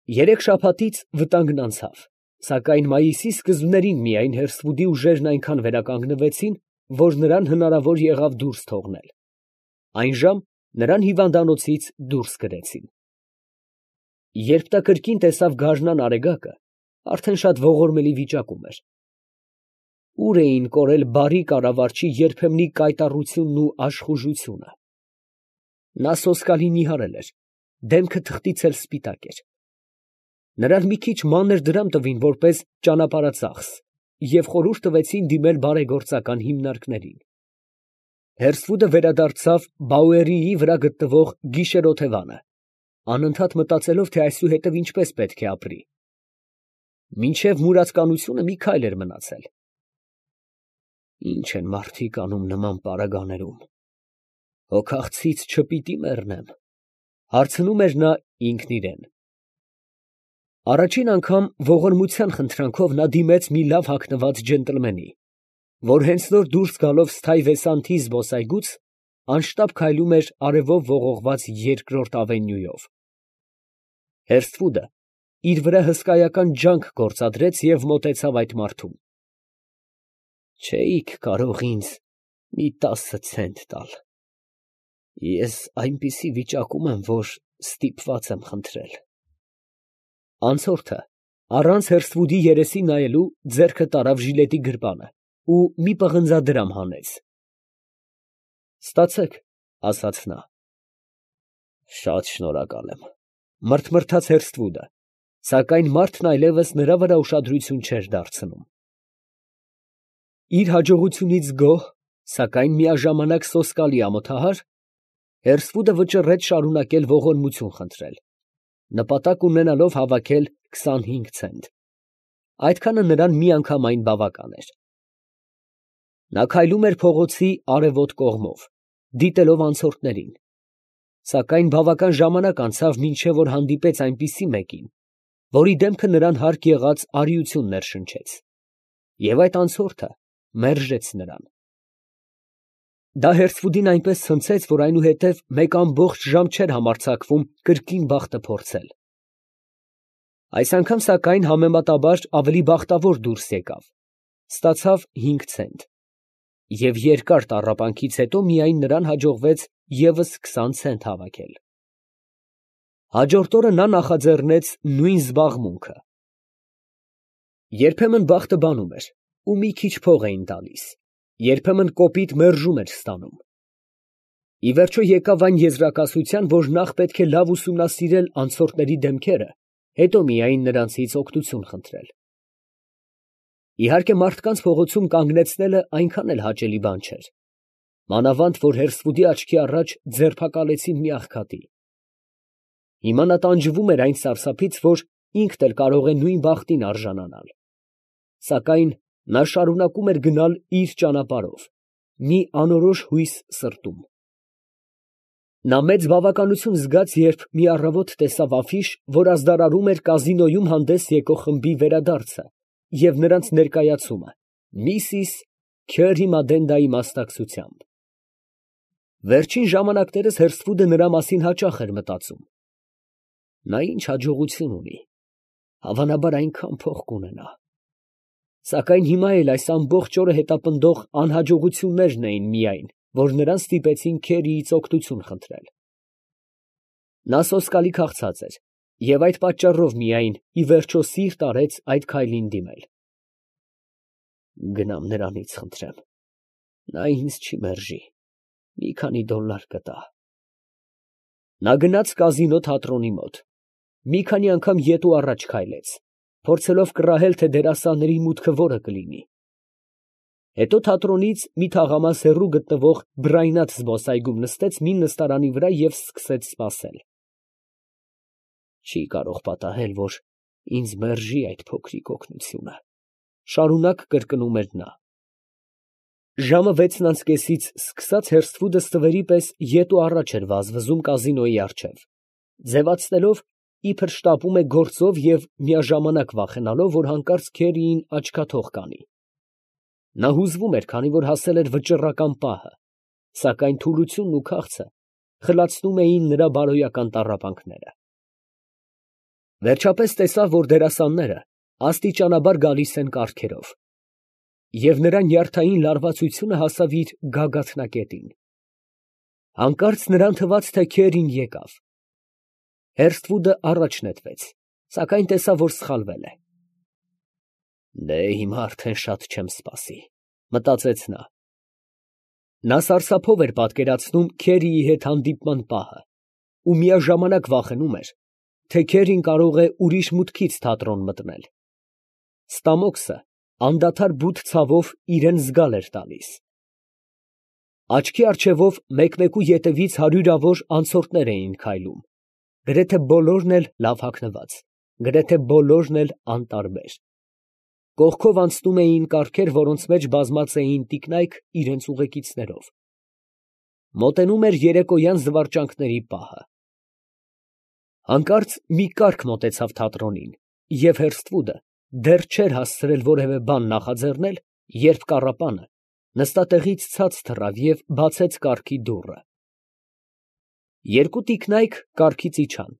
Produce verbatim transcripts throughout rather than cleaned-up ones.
Երեք շաբաթից վտանգն անցավ, սակայն մայիսի սկզբներին միայն Հերսվուդի ուժերն այնքան վերականգնվեցին, որ նրան հնարավոր եղավ դուրս թողնել. այն ժամ նրան հիվանդանոցից դուրս կրեցին։ Երբ նա կրկին տեսավ գարնան Արեգակը, արդեն շատ ողորմելի վիճակում էր։ Ուր էին կորել բարի կառավարչի երբեմնի կայտառությունն ու աշխուժությունը։ Նա սոսկալի նիհարել էր, դեմքը թղթից էլ սպիտակ էր։ Նրան մի քիչ մանր դրամ տվին որպես ճանապարհածախս և խորհուրդ տվեցին դիմել բարեգործական հիմնարկներին։ Հերսվուդը վերադարձավ Բաուերիի վրա գտնվող գիշերօթևանը, անընդհատ մտածելով, թե այսուհետև ինչպես պետք է ապրի։ Մինչև մուրացկանությունը մի քայլ էր մնացել։ Ի՞նչ են մարդիկ անում նման պարագաներում, հոգախցից չպիտի մեռնեմ, հարցնում էր նա ինքն իրան։ Առաջին անգամ ողորմության խնդրանքով նա դիմեց մի լավ հագնված ջենտլմենի, որ հենց նոր դուրս գալով Սթայվեսանթի զբոսայգուց, անշտապ քայլում էր արևով ողողված երկրորդ ավենյուով։ Հերսվուդը իր վրա հսկայական ջանք գործադրեց և մոտեցավ այդ մարդուն։ Չէիք կարող ինձ մի տասը ցենտ տալ. ես այնպիսի վիճակում եմ, որ ստիպված եմ խնդրել։ Անցորդը, առանց Հերսվուդի երեսին նայելու, ձեռքը տարավ ժիլետի գրպանը ու մի պղնձադրամ հանեց։ Ստացեք, ասաց նա։ Շատ շնորհակալ եմ, մրթմրթաց Հերսվուդը, սակայն մարդն այլևս նրա վրա ուշադրություն չէր դարձնում։ Իր հաջողությունից գոհ, սակայն միաժամանակ սոսկալի ամոթահար, Հերսվուդը վճռեց շարունակել ողորմություն խնդրել, նպատակ ունենալով հավաքել քսանհինգ ցենտ։ Այդքանը նրան միանգամայն բավական էր։ Նա քայլում էր փողոցի արևոտ կողմով, դիտելով անցորդներին, սակայն բավական ժամանակ անցավ, մինչև որ հանդիպեց այնպիսի մեկին, որի դեմքը նրան հարկ եղած արիություն ներշնչեց, և այդ անցորդը մերժեց նրան։ Դա Հերսվուդին այնպես ցնցեց, որ այնուհետև մեկ ամբողջ ժամ չէր համարձակվում կրկին բախտը փորձել։ Այս անգամ, սակայն, համեմատաբար ավելի բախտավոր դուրս եկավ, ստացավ հինգ ցենտ, և երկար տառապանքից հետո միայն նրան հաջողվեց ևս քսան ցենտ հավաքել։ Հաջորդ օրը նա նախաձեռնեց նույն զբաղմունքը։ Երբեմն բախտը բանում էր ու մի քիչ փող էին տալիս, երբեմն կոպիտ մերժում էր ստանում։ Ի վերջո եկավ այն եզրակացության, որ նախ պետք է լավ ուսումնասիրել անցորդների դեմքերը, հետո միայն նրանցից օգնություն խնդրել։ Իհարկե, մարդկանց փողոցում կանգնեցնելը այնքան էլ հաճելի բան չէր, մանավանդ որ Հերսվուդի աչքի առաջ ձերբակալեցին մի աղքատի։ Հիմա նա տանջվում էր այն սարսափից, որ ինքն էլ կարող է նույն բախտին արժանանալ, սակայն նա շարունակում էր գնալ իր ճանապարհով, մի անորոշ հույս սրտում։ Նա մեծ բավականություն զգաց, երբ մի առավոտ տեսավ աֆիշ, որ ազդարարում էր կազինոյում հանդես եկող խմբի վերադարձը և նրանց ներկայացումը միսիս Քյըրի Մադենդայի մասնակցությամբ։ Վերջին ժամանակներս Հերսվուդը նրա մասին հաճախ էր մտածում։ Նա ինչ հաջողություն ունի, հավանաբար այնքան փող կունենա։ Սակայն հիմա էլ այս ամբողջ օրը հետապնդող անհաջողություններն էին միայն, որ նրան ստիպեցին Քերիից օգնություն խնդրել։ Նա սոսկալի քաղցած էր և այդ պատճառով միայն ի վերջո սիրտ արեց այդ քայլին դիմել։ Գնամ նրանից խնդրեմ, նա ինձ չի մերժի, մի քանի դոլար կտա։ Նա գնաց կազինո թատրոնի մոտ, մի քանի անգամ ետ ու առաջ քայլեց, փորձելով կռահել, թե դերասանների մուտքը որը կլինի։ Հետո թատրոնից մի թաղամաս հեռու գտնվող բռայնած զբոսայգում նստեց մի նստարանի վրա և սկսեց սպասել։ Չի կարող պատահել, որ ինձ մերժի այդ փոքրիկ օգնությունը, շարունակ կրկնում էր նա։ Ժամը վեցն անց կեսից սկսած Հերսվուդը ստվերի պես ետ ու առաջ էր վազվզում կազինոյի առջև, ձևացնելով, իբր շտապում է գործով և միաժամանակ վախենալով, որ հանկարծ Քերիին աչքաթող կանի։ Նա հուզվում էր, քանի որ հասել էր վճռական պահը, սակայն թուլությունն ու քաղցը խլացնում էին նրա բարոյական տառապանքները։ Վերջապես տեսավ, որ դերասանները աստիճանաբար գալիս են կառքերով, և նրա նյարդային լարվածությունը հասավ իր գագաթնակետին. հանկարծ նրան թվաց, թե քերին եկավ. Հերսթվուդը առաջ նետվեց, սակայն տեսավ, որ սխալվել է։ «Դե հիմա արդեն շատ չեմ սպասի», մտածեց նա։ Նա սարսափով էր պատկերացնում Քերիի հետ հանդիպման պահը ու միաժամանակ վախենում էր, թե Քերին կարող է ուրիշ մուտքից թատրոն մտնել։ Ստամոքսը անդադար բութ ցավով իրան զգալ էր տալիս։ Աչքի առջևով մեկ֊մեկու ետևից հարյուրավոր անցորդներ էին քայլում, գրեթե բոլորն էլ լավ հագնված, գրեթե բոլորն էլ անտարբեր։ Կողքով անցնում էին կառքեր, որոնց մեջ բազմած էին տիկնայք իրենց ուղեկիցներով։ Մոտենում էր երեկոյան զվարճանքների պահը։ Հանկարծ մի կառք մոտեցավ թատրոնին, և Հերսթվուդը դեռ չէր հասցրել որևէ բան նախաձեռնել, երբ կառապանը նստատեղից ցած թռավ և բացեց կառքի դուռը։ Երկու տիկնայք կառքից իջան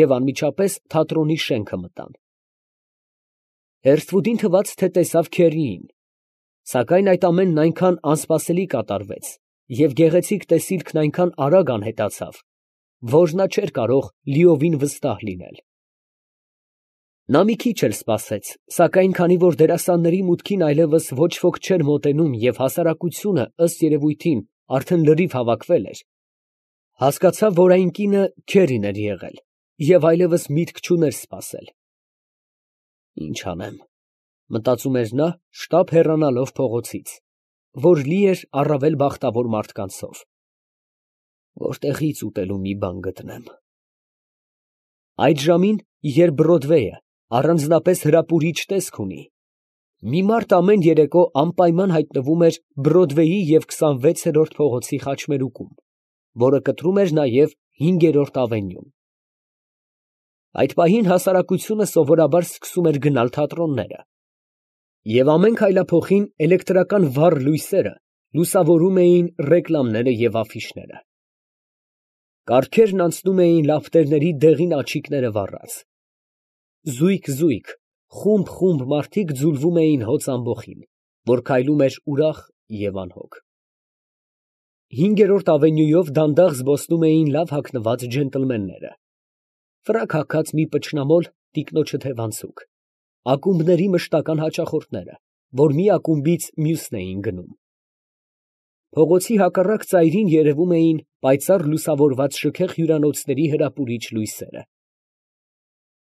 և անմիջապես թատրոնի շենքը մտան։ Հերսթվուդին թվաց, թե տեսավ Քերիին, սակայն այդ ամենն այնքան անսպասելի կատարվեց և գեղեցիկ տեսիլքն այնքան արագ անհետացավ, որ նա չէր կարող լիովին վստահ լինել։ Նա մի քիչ էլ սպասեց, սակայն քանի որ դերասանների մուտքին այլևս ոչ ոք չէր մոտենում և հասարակությունը, ըստ երևույթին, արդեն լրիվ հավաքվել էր, հասկացավ, որ այն կինը Քերին էր եղել և այլևս միտք չուներ սպասել։ «Ինչ անեմ», մտածում էր նա, շտապ հեռանալով փողոցից, որ լի էր առավել բախտավոր մարդկանցով, «որտեղի՞ց ուտելու մի բան գտնեմ»։ Այդ ժամին, երբ Բրոդվեյը առանձնապես հրապուրիչ տեսք ունի, մի մարդ ամեն երեկո անպայման հայտնվում էր Բրոդվեյի և քսանվեցերորդ փողոցի խաչմերուկում, որը կտրում էր նաև հինգերորդ ավենյուն։ Այդ պահին հասարակությունը սովորաբար սկսում էր գնալ թատրոնները, և ամեն քայլափոխին էլեկտրական վառ լույսերը լուսավորում էին ռեկլամները և աֆիշները։ Կառքերն անցնում էին լապտերների դեղին աջիկները վառած։ Զույգ֊զույգ, խումբ֊խումբ մարդիկ ձուլվում էին հոծ ամբոխին, որ քայլում էր ուրախ և անհոգ։ Հինգերորդ ավենյուով դանդաղ զբոսնում էին լավ հագնված ջենտլմենները, ֆրակ հագած մի պճնամոլ տիկնոջը թևանցուկ, ակումբների մշտական հաճախորդները, որ մի ակումբից մյուսն էին գնում։ Փողոցի հակառակ ծայրին երևում էին պայծառ լուսավորված շքեղ հյուրանոցների հրապուրիչ լույսերը։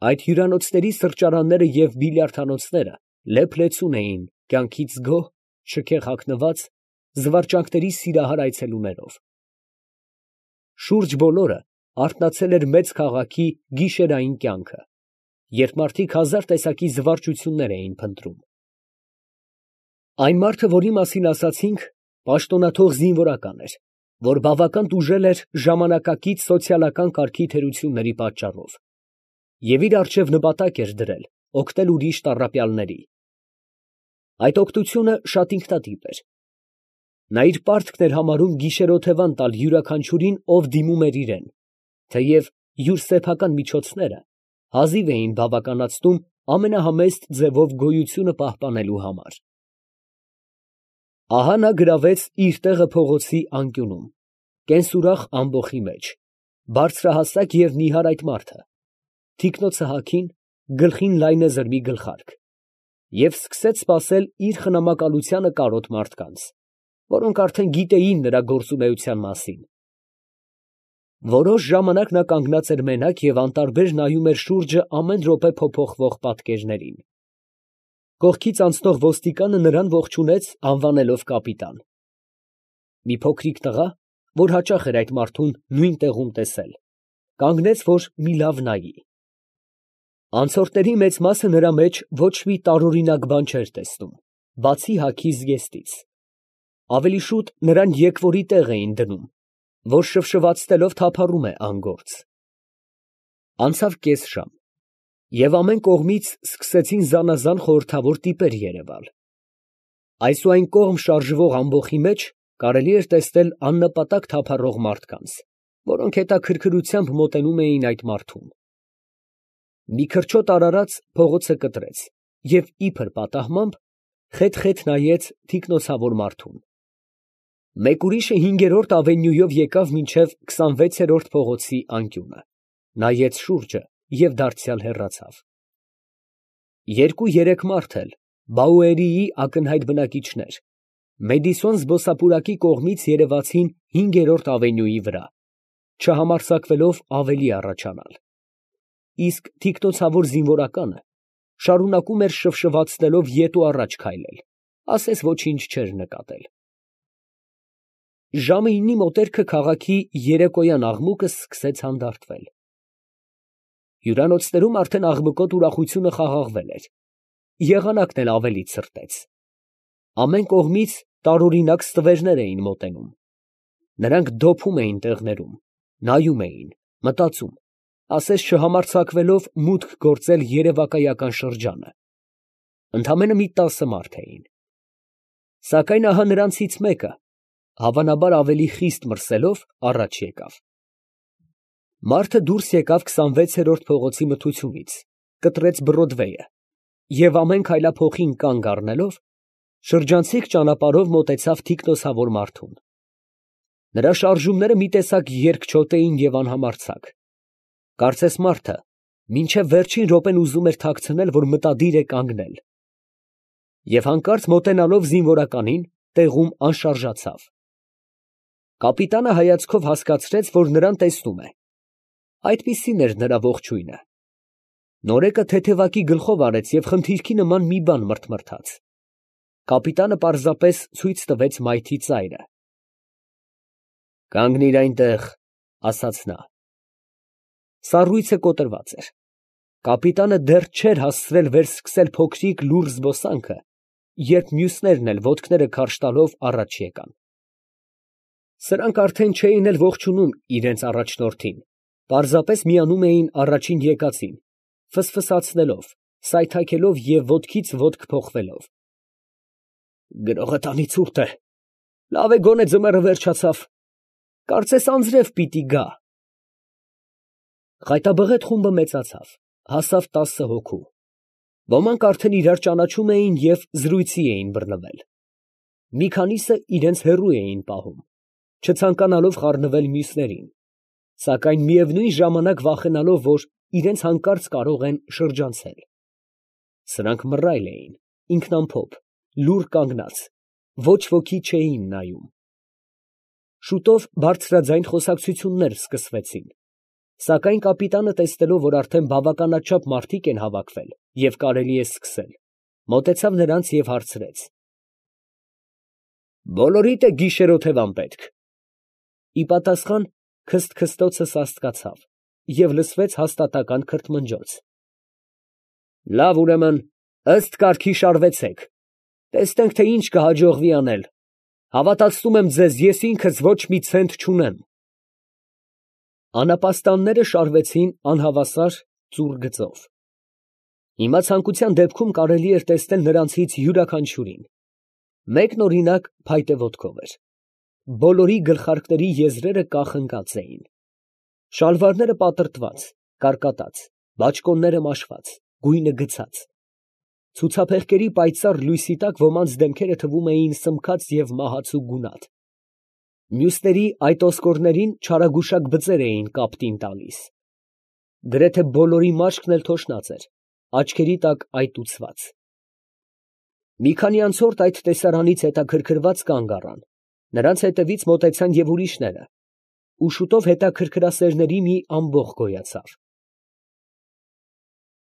Այդ հյուրանոցների սրճարանները և բիլիարդանոցները լեփ֊լեցուն էին կյանքից գոհ, շքեղ հագնված, զվարճանքների սիրահար այցելուներով։ Շուրջ բոլորը արթնացել էր մեծ քաղաքի գիշերային կյանքը, երբ մարդիկ հազար տեսակի զվարճություններ էին փնտրում։ Այն մարդը, որի մասին ասացինք, պաշտոնաթող զինվորական էր, որ բավական տուժել էր ժամանակակից սոցիալական կարգի թերությունների պատճառով և իր առջև նպատակ էր դրել օգնել ուրիշ տառապյալների։ Այդ օգնությունը շատ ինքնատիպ էր։ Նա իր պարտքն էր համարում գիշերօթևան տալ յուրաքանչյուրին, ով դիմում էր իրան, թեև յուր սեփական միջոցները հազիվ էին բավականացնում ամենահամեստ ձևով գոյությունը պահպանելու համար։ Ահա նա գրավեց իր տեղը փողոցի անկյունում, կենսուրախ ամբոխի մեջ, բարձրահասակ և նիհար այդ մարդը, թիկնոցը հագին, գլխին լայնեզր մի գլխարկ, և սկսեց սպասել իր խնամակալությանը կարոտ մարդկանց, որոնք արդեն գիտեին նրա գործունեության մասին։ Որոշ ժամանակ նա կանգնած էր մենակ և անտարբեր նայում էր շուրջը ամեն րոպե փոփոխվող պատկերներին։ Կողքից անցնող ոստիկանը նրան ողջունեց, անվանելով կապիտան։ Մի փոքրիկ տղա, որ հաճախ էր այդ մարդուն նույն տեղում տեսել, կանգնեց, որ մի լավ նայի։ Անցորդների մեծ մասը նրա մեջ ոչ մի տարօրինակ բան չէր տեսնում, բացի հագի զգեստից։ Ավելի շուտ նրան եկվորի տեղ էին դնում, որ շվշվացնելով թափառում է անգործ։ Անցավ կես ժամ, և ամեն կողմից սկսեցին զանազան խորհրդավոր տիպեր երևալ։ Այս ու այն կողմ շարժվող ամբոխի մեջ կարելի էր տեսնել աննպատակ թափառող մարդկանց, որոնք հետաքրքրությամբ մոտենում էին այդ մարդուն։ Մի քրչոտ արարած փողոցը կտրեց և իբր պատահմամբ խեթ֊խեթ նայեց թիկնոցավոր մարդուն։ Մեկ ուրիշը հինգերորդ ավենյուով եկավ մինչև քսանվեցերորդ փողոցի անկյունը, նայեց շուրջը և դարձյալ հեռացավ։ Երկու֊երեք մարդ էլ, Բաուերիի ակնհայտ բնակիչներ, Մեդիսոն զբոսափուրակի կողմից երևացին հինգերորդ ավենյուի վրա, չհամարձակվելով ավելի առաջանալ, իսկ թիկնոցավոր զինվորականը շարունակում էր շվշվացնելով ետ ու առաջ քայլել, ասես ոչինչ չէր նկատել։ Ժամը իննի մոտերքը քաղաքի երեկոյան աղմուկը սկսեց հանդարտվել։ Հյուրանոցներում արդեն աղմկոտ ուրախությունը խաղաղվել էր, եղանակն էլ ավելի ցրտեց։ Ամեն կողմից տարօրինակ ստվերներ էին մոտենում։ Նրանք դոփում էին տեղներում, նայում էին, մտածում, ասես չհամարձակվելով մուտք գործել երևակայական շրջանը։ Ընդամենը մի տասը մարդ էին։ Սակայն ահա նրանցից մեկը, հավանաբար ավելի խիստ մրսելով, առաջ եկավ։ Մարդը դուրս եկավ քսանվեցերորդ փողոցի մթությունից, կտրեց Բրոդվեյը և ամեն քայլափոխին կանգ առնելով, շրջանցիկ ճանապարհով մոտեցավ թիկնոցավոր մարդուն։ Նրա շարժումները մի տեսակ երկչոտ էին և անհամարձակ, կարծես մարդը մինչև վերջին րոպեն ուզում էր թաքցնել, որ մտադիր է կանգնել, և հանկարծ մոտենալով զինվորականին, տեղում անշարժացավ։ Կապիտանը հայացքով հասկացրեց, որ նրան տեսնում է. այդպիսին էր նրա ողջույնը։ Նորեկը թեթևակի գլխով արեց և խնդիրքի նման մի բան մրթմրթաց։ Կապիտանը պարզապես ցույց տվեց մայթի ծայրը։ «Կանգնիր այնտեղ», ասաց նա։ Սառույցը կոտրված էր։ Կապիտանը դեռ չէր հասցրել վերսկսել փոքրիկ լուռ զբոսանքը, երբ մյուսներն էլ ոտքները քարշ տալով առաջ եկան։ Սրանք արդեն չէին էլ ողջունում իրենց առաջնորդին, պարզապես միանում էին առաջին եկածին, ֆսֆսացնելով, սայթաքելով և ոտքից ոտք փոխվելով։ «Գրողը տանի ցուրտ է, լավ է գոնե ձմեռը վերջացավ, կարծես անձրև պիտի գա»։ Խայտաբղետ խումբը մեծացավ, հասավ տասը հոգու։ Ոմանք արդեն իրար ճանաչում էին և զրույցի էին բռնվել։ Մի քանիսը իրենց հեռու էին պահում, չցանկանալով խառնվել մյուսներին, սակայն միևնույն ժամանակ վախենալով, որ իրենց հանկարծ կարող են շրջանցել։ Սրանք մռայլ էին, ինքնամփոփ, լուռ կանգնած, ոչ ոքի չէին նայում։ Շուտով բարձրաձայն խոսակցություններ սկսվեցին, սակայն կապիտանը տեսնելով, որ արդեն բավականաչափ մարդիկ են հավաքվել և կարելի է սկսել, մոտեցավ նրանց և հարցրեց. «Բոլորիդ է գիշերօթևան պետք»։ Ի պատասխան քսթքսթոցը սաստկացավ և լսվեց հաստատակամ քրթմնջոց։ «Լավ, ուրեմն, ըստ կարգի շարվեցեք, տեսնենք, թե ինչ կհաջողվի անել, հավատացնում եմ ձեզ, ես ինքս ոչ մի ցենտ չունեմ»։ Անապաստանները շարվեցին անհավասար ծուռ գծով։ Հիմա ցանկության դեպքում կարելի էր տեսնել նրանցից յուրաքանչյուրին։ Մեկն, օրինակ, փայտե ոտքով էր։ Բոլորի գլխարկների եզրերը կախնկած էին։ Շալվարները պատրտված, կարկատած, բաճկոնները մաշված, գույնը գցած։ Ցուցափեղկերի պայծառ լույսի տակ ոմանց դեմքերը թվում էին սմքած և մահացու գունատ։ Մյուսների այդ ոսկորներին չարագուշակ բծեր էին կապտին տալիս։ Գրեթե բոլորի մաշկն էլ թոշնած էր, աչքերի տակ այտուցված։ Մի քանի անցորդ այդ տեսարանից հետաքրքրված կանգ առան, նրանց հետևից մոտեցան և ուրիշները, ու շուտով հետաքրքրասերների մի ամբոխ գոյացավ։